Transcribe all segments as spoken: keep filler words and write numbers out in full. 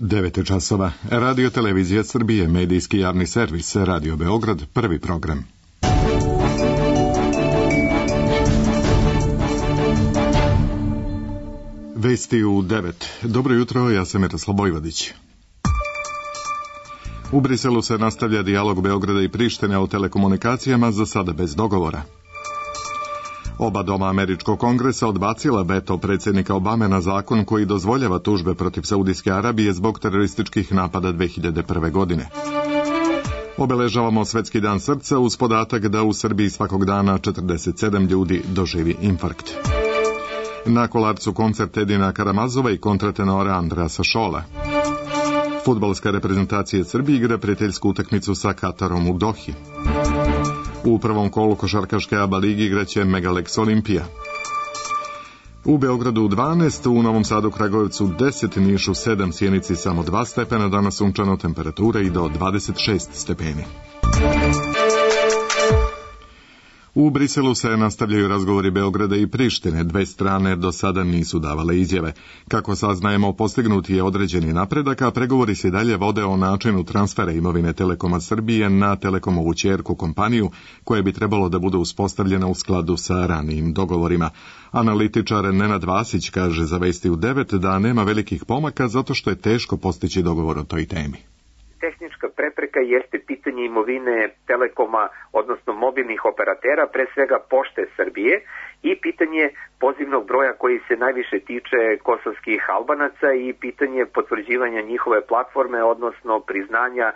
devet časova. Radio Televizija Srbije, medijski javni servis, Radio Beograd, prvi program. Vesti u devet. Dobro jutro, ja sam Miroslav Bojvodić. U Briselu se nastavlja dijalog Beograda i Prištine o telekomunikacijama, za sada bez dogovora. Oba doma američkog kongresa odbacila veto predsjednika Obame na zakon koji dozvoljava tužbe protiv Saudijske Arabije zbog terorističkih napada dve hiljade prve. godine. Obeležavamo Svetski dan srca uz podatak da u Srbiji svakog dana četrdeset sedam ljudi doživi infarkt. Na Kolarcu koncert Edina Karamazova i kontratenora Andrasa Šola. Fudbalska reprezentacija Srbije igra prijateljsku utakmicu sa Katarom u Dohi. U prvom kolu košarkaške A B A ligi igraće Megalex Olimpija. U Beogradu dvanaest, u Novom Sadu, Kragujevcu deset, Nišu sedam, Sjenici samo dva stepena, danas sunčano, temperatura i do dvadeset šest stepeni. U Briselu se nastavljaju razgovori Beograda i Prištine. Dve strane do sada nisu davale izjave. Kako saznajemo, postignut je određeni napredak, a pregovori se dalje vode o načinu transfera imovine Telekoma Srbije na Telekomovu ćerku kompaniju, koja bi trebalo da bude uspostavljena u skladu sa ranijim dogovorima. Analitičar Nenad Vasić kaže za Vesti u devet da nema velikih pomaka zato što je teško postići dogovor o toj temi. Tehnička prepreka jeste pitanje imovine Telekoma, odnosno mobilnih operatera, pre svega Pošte Srbije, i pitanje pozivnog broja koji se najviše tiče kosovskih Albanaca i pitanje potvrđivanja njihove platforme, odnosno priznanja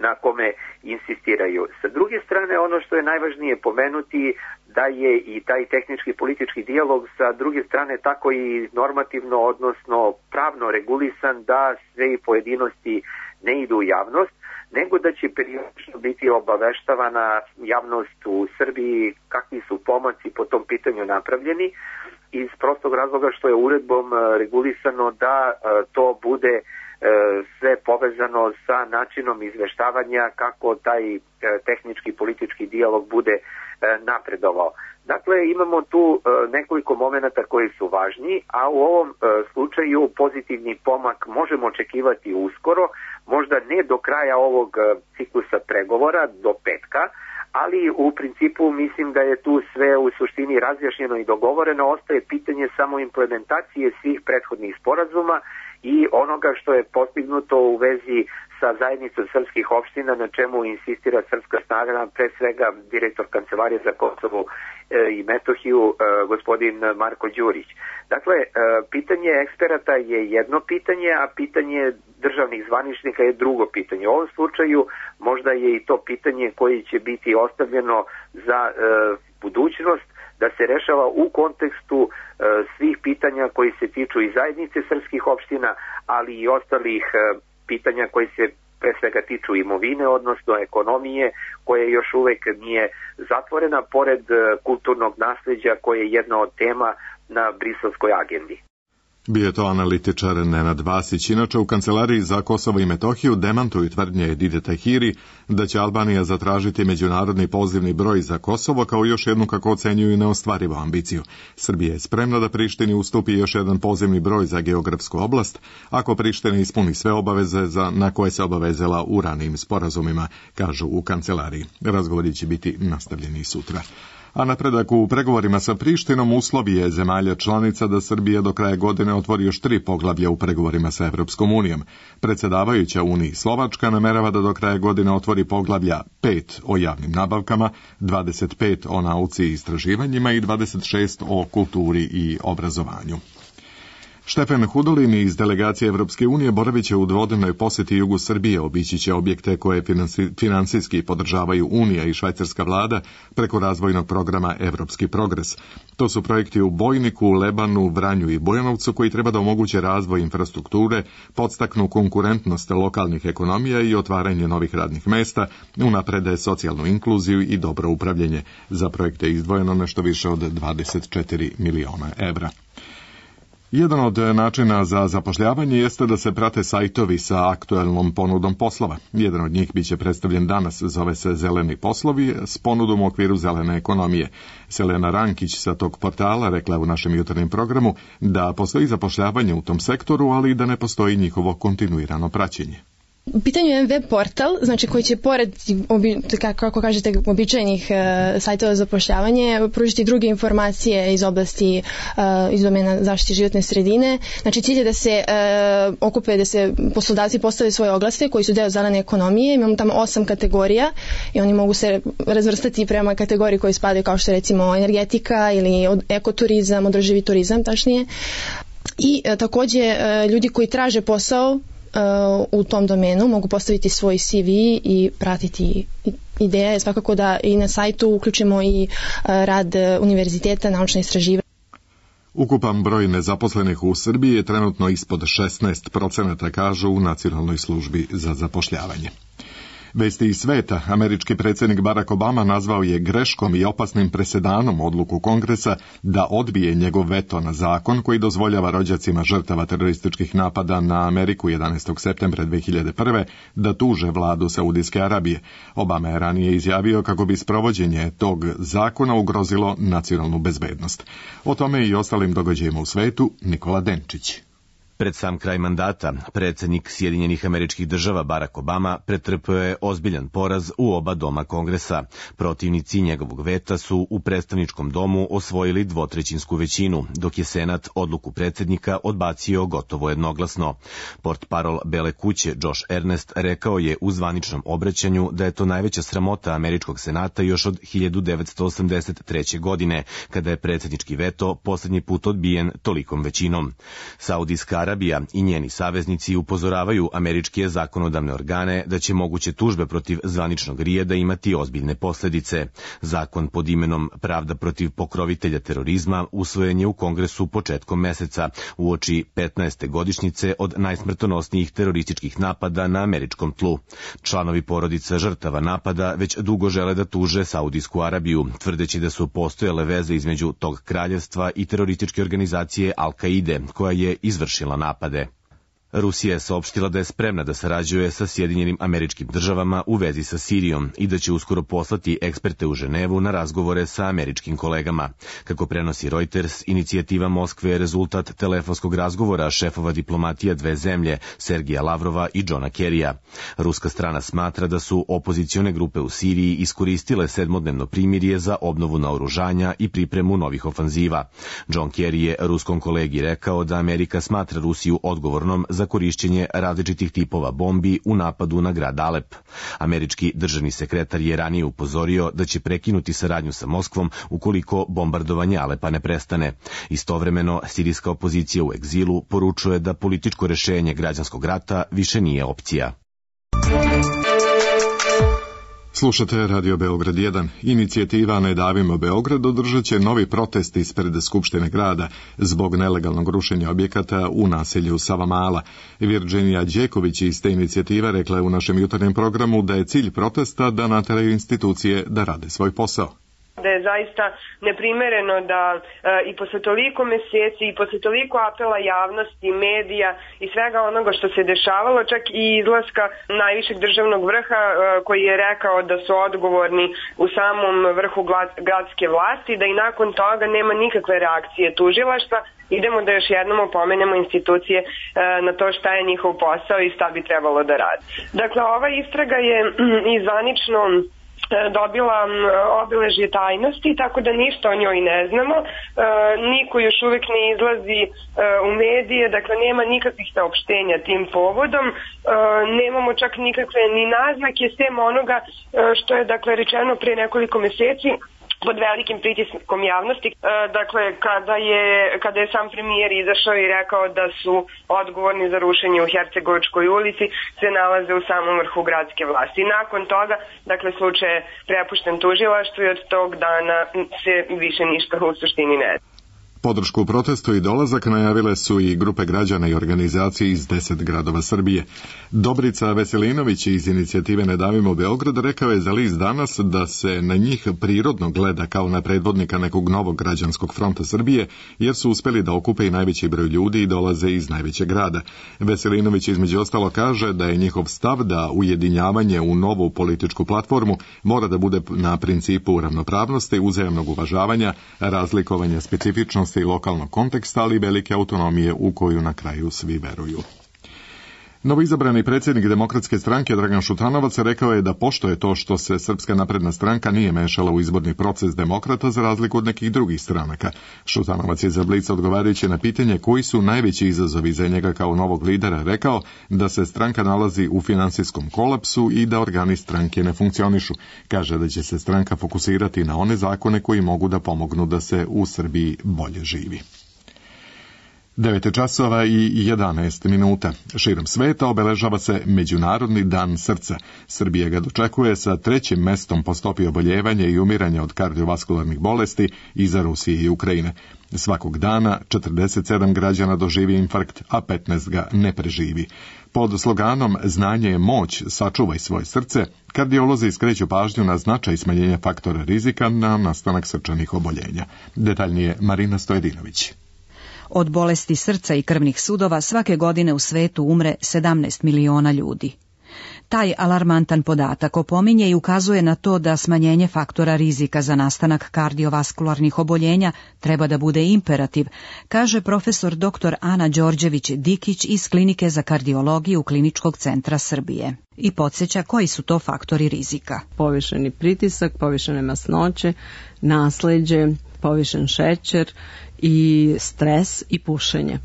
na kome insistiraju. Sa druge strane, ono što je najvažnije pomenuti, da je i taj tehnički politički dijalog sa druge strane tako i normativno, odnosno pravno regulisan, da sve i pojedinosti ne idu u javnost, nego da će periodično biti obaveštavana javnost u Srbiji kakvi su pomaci po tom pitanju napravljeni, iz prostog razloga što je uredbom regulisano da to bude sve povezano sa načinom izveštavanja kako taj tehnički politički dijalog bude napredovao. Dakle, imamo tu nekoliko momenata koji su važni, a u ovom slučaju pozitivni pomak možemo očekivati uskoro, možda ne do kraja ovog ciklusa pregovora, do petka, ali u principu mislim da je tu sve u suštini razjašnjeno i dogovoreno. Ostaje pitanje samo implementacije svih prethodnih sporazuma i onoga što je postignuto u vezi sa zajednicom srpskih opština, na čemu insistira Srpska snaga, pre svega direktor Kancelarije za Kosovo i Metohiju, gospodin Marko Đurić. Dakle, pitanje eksperata je jedno pitanje, a pitanje državnih zvaničnika je drugo pitanje. U ovom slučaju možda je i to pitanje koji će biti ostavljeno za budućnost, da se rešava u kontekstu e, svih pitanja koji se tiču i zajednice srpskih opština, ali i ostalih e, pitanja koji se pre svega tiču imovine, odnosno ekonomije, koje još uvek nije zatvorena, pored e, kulturnog nasleđa koje je jedna od tema na briselskoj agendi. Bio je to analitičar Nenad Vasić. Inače, u Kancelariji za Kosovo i Metohiju demantuju tvrdnje Edite Tahiri da će Albanija zatražiti međunarodni pozivni broj za Kosovo kao još jednu, kako ocenjuju, neostvarivu ambiciju. Srbija je spremna da Prištini ustupi još jedan pozivni broj za geografsku oblast, ako Priština ispuni sve obaveze za, na koje se obavezala u ranijim sporazumima, kažu u Kancelariji. Razgovori će biti nastavljeni sutra. A napredak u pregovorima sa Prištinom uslovi je zemalja članica da Srbija do kraja godine otvori još tri poglavlja u pregovorima sa Evropskom unijom. Predsjedavajuća Uniji Slovačka namerava da do kraja godine otvori poglavlja pet o javnim nabavkama, dvadeset pet o nauci i istraživanjima i dvadeset šest o kulturi i obrazovanju. Štefan Hudolin iz delegacije Evropske unije boravit će u dvodnevnoj posjeti jugu Srbije, obići će objekte koje finansijski podržavaju Unija i švajcarska vlada preko razvojnog programa Evropski progres. To su projekti u Bojniku, Lebanu, Vranju i Bujanovcu koji treba da omoguće razvoj infrastrukture, podstaknu konkurentnost lokalnih ekonomija i otvaranje novih radnih mesta, unaprede socijalnu inkluziju i dobro upravljanje. Za projekte je izdvojeno nešto više od dvadeset četiri miliona evra. Jedan od načina za zapošljavanje jeste da se prate sajtovi sa aktuelnom ponudom poslova. Jedan od njih biće predstavljen danas, zove se Zeleni poslovi, s ponudom u okviru zelene ekonomije. Selena Rankić sa tog portala rekla je u našem jutarnjem programu da postoji zapošljavanje u tom sektoru, ali i da ne postoji njihovo kontinuirano praćenje. U pitanju je web portal, znači koji će pored, obi, kako kažete, običajnih e, sajtova za zapošljavanje pružiti druge informacije iz oblasti, e, iz domena zaštite životne sredine. Znači cilj je da se e, okupe, da se poslodavci postave svoje oglase koji su deo zelene ekonomije. Imamo tamo osam kategorija i oni mogu se razvrstati prema kategoriji koji spadaju kao što je recimo energetika ili od, ekoturizam, održivi turizam tačnije. I e, takođe e, ljudi koji traže posao u tom domenu mogu postaviti svoj C V i pratiti. Ideja je svakako da i na sajtu uključimo i rad univerziteta, naučne istraživanja. Ukupan broj nezaposlenih u Srbiji je trenutno ispod šesnaest procenata, kažu u Nacionalnoj službi za zapošljavanje. Vesti iz sveta, američki predsjednik Barack Obama nazvao je greškom i opasnim presedanom odluku Kongresa da odbije njegov veto na zakon koji dozvoljava rođacima žrtava terorističkih napada na Ameriku jedanaestog septembra dve hiljade prve da tuže vladu Saudijske Arabije. Obama je ranije izjavio kako bi sprovođenje tog zakona ugrozilo nacionalnu bezbednost. O tome i ostalim događajima u svetu Nikola Denčić. Pred sam kraj mandata, predsjednik Sjedinjenih Američkih Država Barack Obama pretrpeo je ozbiljan poraz u oba doma Kongresa. Protivnici njegovog veta su u predstavničkom domu osvojili dvotrećinsku većinu, dok je Senat odluku predsjednika odbacio gotovo jednoglasno. Portparol Bele kuće Josh Earnest rekao je u zvaničnom obraćanju da je to najveća sramota Američkog senata još od hiljadu devetsto osamdeset treće. godine, kada je predsjednički veto posljednji put odbijen tolikom većinom. Saudijska Arabija i njeni saveznici upozoravaju američke zakonodavne organe da će moguće tužbe protiv zvaničnog Rijeda imati ozbiljne posljedice. Zakon pod imenom Pravda protiv pokrovitelja terorizma usvojen je u Kongresu početkom meseca, uoči petnaeste godišnjice od najsmrtonosnijih terorističkih napada na američkom tlu. Članovi porodica žrtava napada već dugo žele da tuže Saudijsku Arabiju, tvrdeći da su postojale veze između tog kraljevstva i terorističke organizacije Al-Kaide, koja je izvršila napade. Rusija je saopštila da je spremna da sarađuje sa Sjedinjenim Američkim Državama u vezi sa Sirijom i da će uskoro poslati eksperte u Ženevu na razgovore sa američkim kolegama. Kako prenosi Reuters, inicijativa Moskve je rezultat telefonskog razgovora šefova diplomatija dve zemlje, Sergija Lavrova i Johna Kerrya. Ruska strana smatra da su opozicione grupe u Siriji iskoristile sedmodnevno primirje za obnovu naoružanja i pripremu novih ofanziva. John Kerry je ruskom kolegi rekao da Amerika smatra Rusiju odgovornom za korišćenje različitih tipova bombi u napadu na grad Alep. Američki državni sekretar je ranije upozorio da će prekinuti saradnju sa Moskvom ukoliko bombardovanje Alepa ne prestane. Istovremeno, sirijska opozicija u egzilu poručuje da političko rešenje građanskog rata više nije opcija. Slušate Radio Beograd jedan. Inicijativa Ne davimo Beograd održat će novi protest ispred Skupštine grada zbog nelegalnog rušenja objekata u naselju Savamala. Virginija Đeković iz te inicijative rekla je u našem jutarnjem programu da je cilj protesta da nateraju institucije da rade svoj posao. Da je zaista neprimereno da e, i posle toliko meseci i posle toliko apela javnosti, medija i svega onoga što se dešavalo, čak i izlaska najvišeg državnog vrha e, koji je rekao da su odgovorni u samom vrhu gradske vlasti, da i nakon toga nema nikakve reakcije tužilaštva. Idemo da još jednom opomenemo institucije e, na to šta je njihov posao i šta bi trebalo da radi. Dakle, ova istraga je i zvanično dobila obeležje tajnosti, tako da ništa o njoj ne znamo. E, niko još uvek ne izlazi e, u medije, dakle nema nikakvih saopštenja tim povodom, e, nemamo čak nikakve ni naznake sem onoga e, što je dakle rečeno pre nekoliko meseci pod velikim pritiskom javnosti, dakle kada je, kada je sam premijer izašao i rekao da su odgovorni za rušenje u Hercegovačkoj ulici se nalaze u samom vrhu gradske vlasti. Nakon toga, dakle, slučaj je prepušten tužilaštvu i od tog dana se više ništa u suštini ne. Podršku protestu i dolazak najavile su i grupe građana i organizacije iz deset gradova Srbije. Dobrica Veselinović iz inicijative Ne davimo Beograd rekao je za list Danas da se na njih prirodno gleda kao na predvodnika nekog novog građanskog fronta Srbije, jer su uspeli da okupe i najveći broj ljudi i dolaze iz najvećeg grada. Veselinović između ostalo kaže da je njihov stav da ujedinjavanje u novu političku platformu mora da bude na principu ravnopravnosti, uzajamnog uvažavanja, razlikovanja specifičnosti i lokalnog konteksta, ali velike autonomije u koju na kraju svi veruju. Novoizabrani predsjednik Demokratske stranke Dragan Šutanovac rekao je da poštuje to što se Srpska napredna stranka nije mešala u izborni proces demokrata za razliku od nekih drugih stranaka. Šutanovac je za Blic odgovarajući na pitanje koji su najveći izazovi za njega kao novog lidera rekao da se stranka nalazi u finansijskom kolapsu i da organi stranke ne funkcionišu. Kaže da će se stranka fokusirati na one zakone koji mogu da pomognu da se u Srbiji bolje živi. devet časova i jedanaest minuta. Širom sveta obeležava se Međunarodni dan srca. Srbija ga dočekuje sa trećim mestom po stopi oboljevanja i umiranja od kardiovaskularnih bolesti iza Rusije i Ukrajine. Svakog dana četrdeset sedam građana doživi infarkt, a petnaest ga ne preživi. Pod sloganom Znanje je moć, sačuvaj svoje srce, kardiolozi skreću pažnju na značaj smanjenja faktora rizika na nastanak srčanih oboljenja. Detaljnije Marina Stojedinović. Od bolesti srca i krvnih sudova svake godine u svetu umre sedamnaest miliona ljudi. Taj alarmantan podatak opominje i ukazuje na to da smanjenje faktora rizika za nastanak kardiovaskularnih oboljenja treba da bude imperativ, kaže profesor doktor Ana Đorđević-Dikić iz Klinike za kardiologiju Kliničkog centra Srbije. I podsjeća koji su to faktori rizika. Povišeni pritisak, povišene masnoće, nasleđe, povišen šećer i stres i pušenje.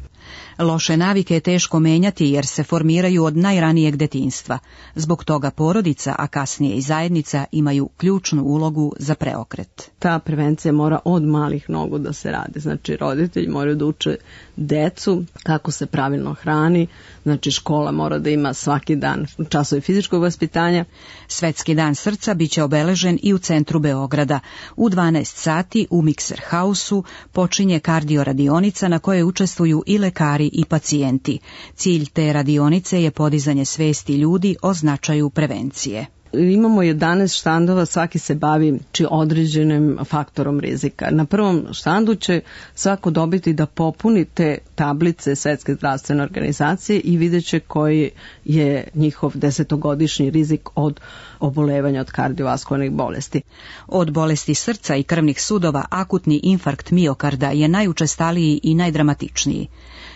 Loše navike je teško menjati jer se formiraju od najranijeg detinjstva. Zbog toga porodica, a kasnije i zajednica, imaju ključnu ulogu za preokret. Ta prevencija mora od malih nogu da se radi. Znači, roditelji moraju da uče decu kako se pravilno hrani. Znači, škola mora da ima svaki dan časove fizičkog vaspitanja. Svetski dan srca biće obeležen i u centru Beograda. U dvanaest sati u Mikser Hausu počinje kardio radionica na kojoj učestvuju i lekari i pacijenti. Cilj te radionice je podizanje svesti ljudi o značaju prevencije. Imamo jedanaest štandova, svaki se bavi či određenim faktorom rizika. Na prvom štandu će svako dobiti da popuni te tablice Svetske zdravstvene organizacije i vidjet će koji je njihov desetogodišnji rizik od obolevanja od kardiovaskularnih bolesti. Od bolesti srca i krvnih sudova akutni infarkt miokarda je najučestaliji i najdramatičniji.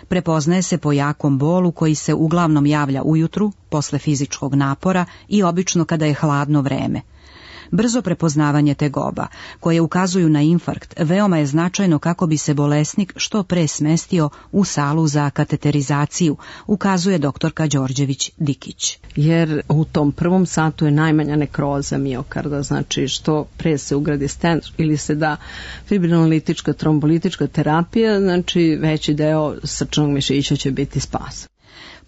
Prepoznaje se po jakom bolu koji se uglavnom javlja ujutru, posle fizičkog napora i obično kada je hladno vreme. Brzo prepoznavanje tegoba, koje ukazuju na infarkt, veoma je značajno kako bi se bolesnik što pre smestio u salu za kateterizaciju, ukazuje doktorka Đorđević-Dikić. Jer u tom prvom satu je najmanja nekroza miokarda, znači što pre se ugradi stent ili se da fibrinolitička, trombolitička terapija, znači veći deo srčanog mišića će biti spas.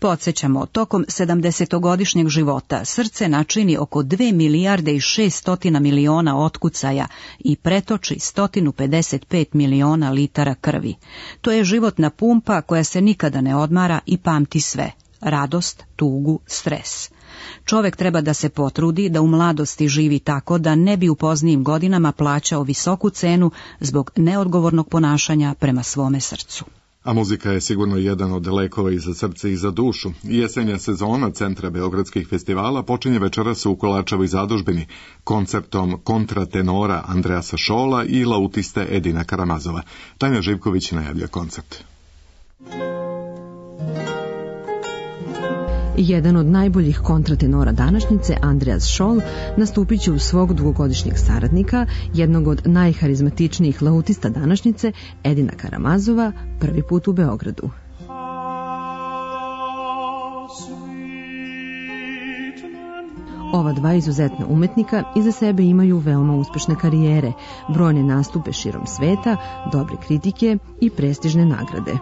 Podsjećamo, tokom sedamdesetogodišnjeg života srce načini oko dve milijarde i šeststotina miliona otkucaja i pretoči sto pedeset pet miliona litara krvi. To je životna pumpa koja se nikada ne odmara i pamti sve: radost, tugu, stres. Čovek treba da se potrudi da u mladosti živi tako da ne bi u poznijim godinama plaćao visoku cenu zbog neodgovornog ponašanja prema svome srcu. A muzika je sigurno jedan od lekova i za srce i za dušu. Jesenja sezona Centra beogradskih festivala počinje večeras u Kolačevoj zadužbini koncertom kontratenora Andreasa Šola i lautiste Edina Karamazova. Tanja Živković najavlja koncert. Jedan od najboljih kontratenora današnjice, Andreas Scholl, nastupit će uz svog dugogodišnjeg saradnika, jednog od najharizmatičnijih lautista današnjice, Edina Karamazova, prvi put u Beogradu. Ova dva izuzetna umetnika iza sebe imaju veoma uspešne karijere, brojne nastupe širom sveta, dobre kritike i prestižne nagrade.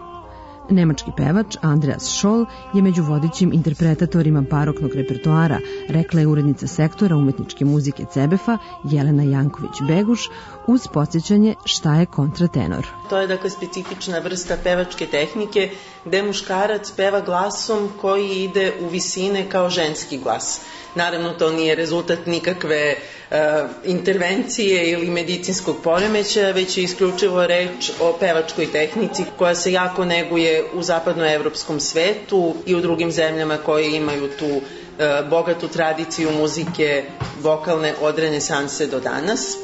Nemački pevač Andreas Scholl je među vodećim interpretatorima baroknog repertoara, rekla je urednica sektora umetničke muzike Cebefa Jelena Janković-Beguš uz podsjećanje šta je kontratenor. To je dakle specifična vrsta pevačke tehnike gde muškarac peva glasom koji ide u visine kao ženski glas. Naravno, to nije rezultat nikakve uh, intervencije ili medicinskog poremećaja, već je isključivo reč o pevačkoj tehnici koja se jako neguje u zapadnoevropskom svetu i u drugim zemljama koje imaju tu uh, bogatu tradiciju muzike vokalne od renesanse do danas.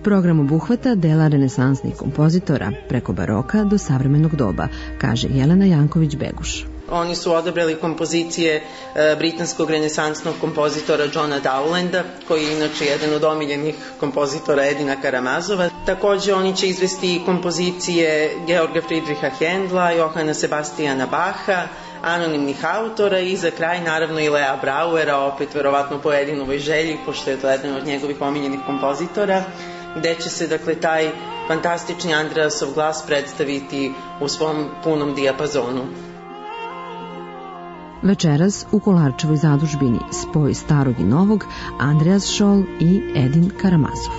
Program obuhvata dela renesansnih kompozitora preko baroka do savremenog doba, kaže Jelena Janković-Beguš. Oni su odabrali kompozicije e, britanskog renesansnog kompozitora Johna Dowlanda, koji je inače jedan od omiljenih kompozitora Edina Karamazova. Takođe oni će izvesti kompozicije Georga Friedricha Händla, Johana Sebastiana Bacha, anonimnih autora i za kraj naravno i Lea Brauera, opet verovatno po Edinovoj želji, pošto je to jedan od njegovih omiljenih kompozitora, gde će se dakle taj fantastični Andreasov glas predstaviti u svom punom dijapazonu. Večeras u Kolarčevoj zadužbini spoj starog i novog, Andreas Scholl i Edin Karamazov.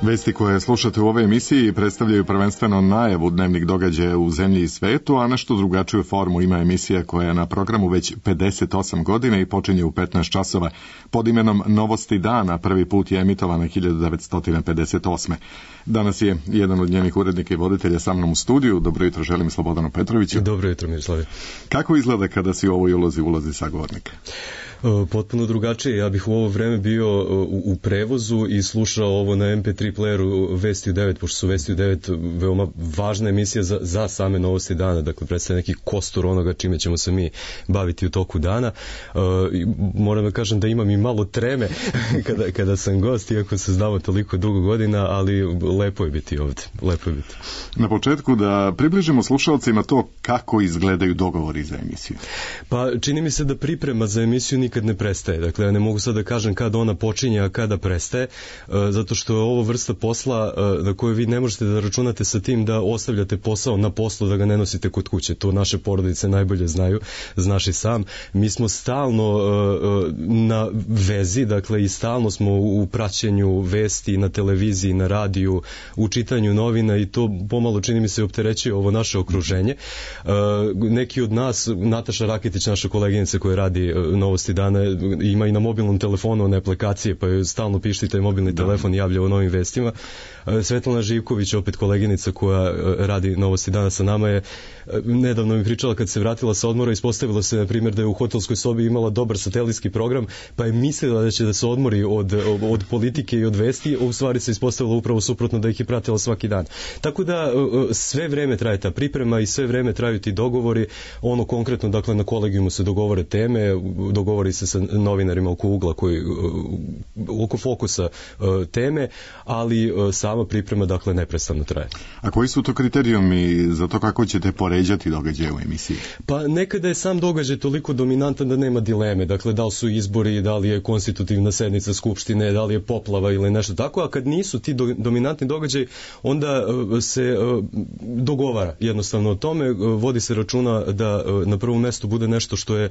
Vesti koje slušate u ovoj emisiji predstavljaju prvenstveno najavu dnevnih događaja u zemlji i svetu, a nešto drugačiju formu ima emisija koja je na programu već pedeset osam godina i počinje u petnaest časova. Pod imenom Novosti dana prvi put je emitovana hiljadu devetsto pedeset osme. Danas je jedan od njenih urednika i voditelja sa mnom u studiju. Dobro jutro, želim Slobodanu Petroviću. Dobro jutro, Miroslave. Kako izgleda kada si u ovoj ulozi ulazi sagovornika? Potpuno drugačije. Ja bih u ovo vreme bio u, u prevozu i slušao ovo na em pe tri playeru Vesti u devet, pošto su Vesti u devet veoma važna emisija za, za same Novosti dana, dakle predstavlja neki kostur onoga čime ćemo se mi baviti u toku dana. Uh, moram da kažem da imam i malo treme kada, kada sam gost, iako se znamo toliko dugo godina, ali lepo je biti ovde. Lepo je biti. Na početku da približimo slušalcima to kako izgledaju dogovori za emisiju. Pa čini mi se da priprema za emisiju nikad ne prestaje. Dakle, ja ne mogu sad da kažem kada ona počinje, a kada prestaje, zato što je ovo vrsta posla na koju vi ne možete da računate sa tim da ostavljate posao na poslu, da ga ne nosite kod kuće. To naše porodice najbolje znaju, znaš i sam. Mi smo stalno na vezi, dakle, i stalno smo u praćenju vesti na televiziji, na radiju, u čitanju novina i to pomalo čini mi se opterećuje ovo naše okruženje. Neki od nas, Nataša Rakitić, naša koleginica koja radi Novosti dana, ima i na mobilnom telefonu one aplikacije, pa joj stalno pišti taj mobilni da. telefon i javlja o novim vestima. Svetlana Živković, opet koleginica koja radi Novosti dana sa nama, je nedavno mi pričala kad se vratila sa odmora, ispostavilo se, na primjer, da je u hotelskoj sobi imala dobar satelitski program, pa je mislila da će da se odmori od, od politike i od vesti, a u stvari se ispostavilo upravo suprotno, da ih je pratila svaki dan. Tako da sve vreme traje ta priprema i sve vreme traju ti dogovori, ono konkretno, dakle, na kolegijumu se dogovore teme, dogovori se sa novinarima oko ugla, koji, oko fokusa teme, ali sama priprema, dakle, neprestano traje. A koji su to kriterijumi za to kako ćete poređati događaje u emisiji? Pa nekada je sam događaj toliko dominantan da nema dileme, dakle, da li su izbori, da li je konstitutivna sednica skupštine, da li je poplava ili nešto tako, a kad nisu ti do, dominantni događaj, onda se dogovara jednostavno o tome, vodi se računa da na prvom mestu bude nešto što je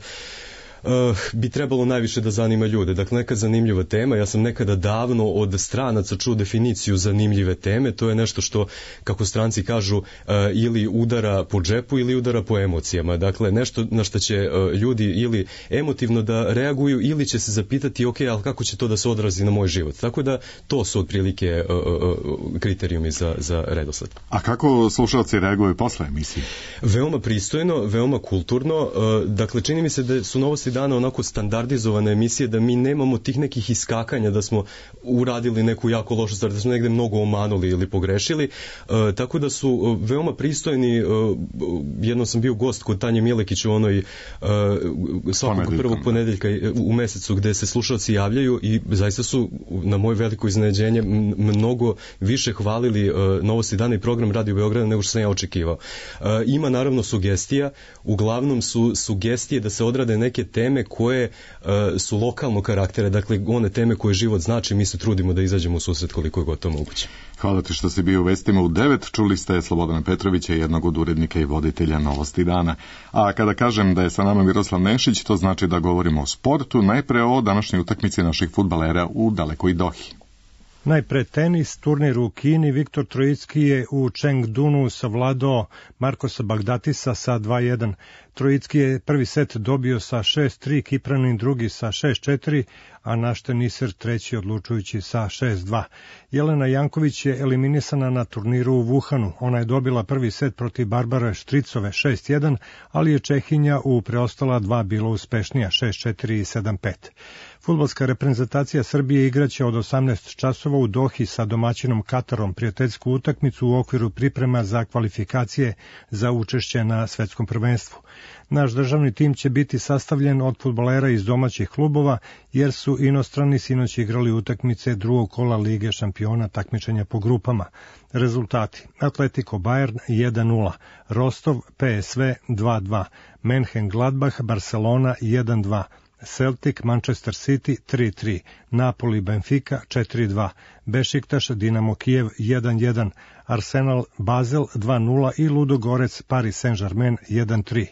Uh, bi trebalo najviše da zanima ljude. Dakle, neka zanimljiva tema. Ja sam nekada davno od stranaca čuo definiciju zanimljive teme. To je nešto što, kako stranci kažu, uh, ili udara po džepu ili udara po emocijama. Dakle, nešto na što će uh, ljudi ili emotivno da reaguju ili će se zapitati, ok, ali kako će to da se odrazi na moj život. Tako da to su otprilike uh, uh, kriterijumi za, za redosled. A kako slušalci reaguju posle emisije? Veoma pristojno, veoma kulturno. Uh, dakle, čini mi se da su Novosti dana onako standardizovane emisije, da mi nemamo tih nekih iskakanja da smo uradili neku jako lošu stvar, da smo negde mnogo omanuli ili pogrešili, e, tako da su veoma pristojni. E, jedno sam bio gost kod Tanje Milekić u onoj e, svakog prvog ponedeljka u mesecu gde se slušalci javljaju i zaista su na moje veliko iznenađenje mnogo više hvalili e, Novosti dana i program Radio Beograda nego što sam ja očekivao. E, ima naravno sugestija, uglavnom su sugestije da se odrade neke teme koje e, su lokalnog karaktera, dakle one teme koje život znači, mi se trudimo da izađemo u susret koliko je gotovo moguće. Hvala ti što si bio u vestima u devet. Čuli ste Slobodana Petrovića, jednog od urednika i voditelja Novosti dana. A kada kažem da je sa nama Miroslav Nešić, to znači da govorimo o sportu, najpre o današnjoj utakmici naših fudbalera u dalekoj Dohi. Najpre tenis, turnir u Kini, Viktor Trojicki je u Chengdunu savladao Markosa Bagdatisa sa dva jedan. Trojicki je prvi set dobio sa šest tri, Kipranin drugi sa šest četiri, a naš teniser treći odlučujući sa šest dva. Jelena Janković je eliminisana na turniru u Wuhanu. Ona je dobila prvi set protiv Barbare Štricove šest jedan, ali je Čehinja u preostala dva bila uspešnija šest četiri i sedam pet. Fudbalska reprezentacija Srbije igraće od osamnaest časova u Dohi sa domaćinom Katarom prijateljsku utakmicu u okviru priprema za kvalifikacije za učešće na svetskom prvenstvu. Naš državni tim će biti sastavljen od fudbalera iz domaćih klubova, jer su inostrani sinoć igrali utakmice drugog kola Lige šampiona takmičenja po grupama. Rezultati: Atletico Bayern jedan nula, Rostov P S V dva dva, Mönchengladbach Barcelona jedan dva, Celtic Manchester City tri tri, Napoli Benfica četiri dva, Bešiktaš Dinamo Kijev jedan jedan, Arsenal Basel dva nula i Ludogorec Paris Saint-Germain jedan tri.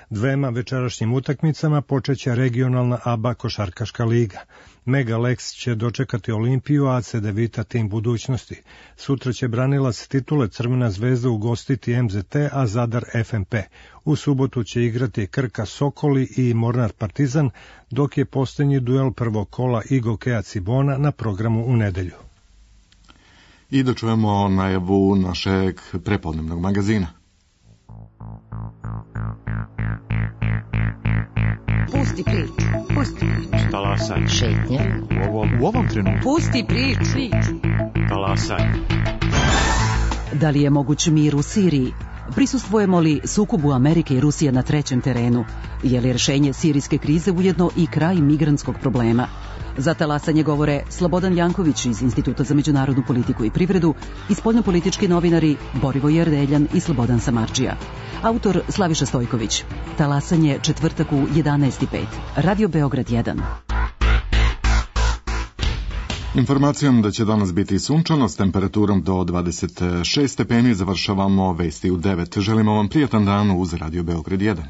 Dvema večerašnjim utakmicama počeće regionalna A B A košarkaška liga. Mega Lex će dočekati Olimpiju, a Cedevita tim budućnosti. Sutra će branilac titule Crvena zvezda ugostiti M Z T, a Zadar F M P. U subotu će igrati Krka Sokoli i Mornar Partizan, dok je posljednji duel prvog kola Igokeja Cibona na programu u nedelju. I da čujemo najavu našeg prepodnevnog magazina. Pusti priču, pusti priču. Talasaj. Šetnje. U ovom, u ovom trenutku. Pusti priču. Talasaj. Da li je moguć mir u Siriji? Prisustvujemo li sukobu Amerike i Rusije na trećem terenu? Je li rješenje sirijske krize ujedno i kraj migrantskog problema? Za talasanje govore Slobodan Janković iz Instituta za međunarodnu politiku i privredu i spoljnopolitički novinari Borivoje Erdeljan i Slobodan Samardžija. Autor Slaviša Stojković. Talasanje četvrtak u jedanaest i pet. Radio Beograd jedan. Informacijom da će danas biti sunčano s temperaturom do dvadeset šest stepeni završavamo vesti u devet. Želimo vam prijatan dan uz Radio Beograd jedan.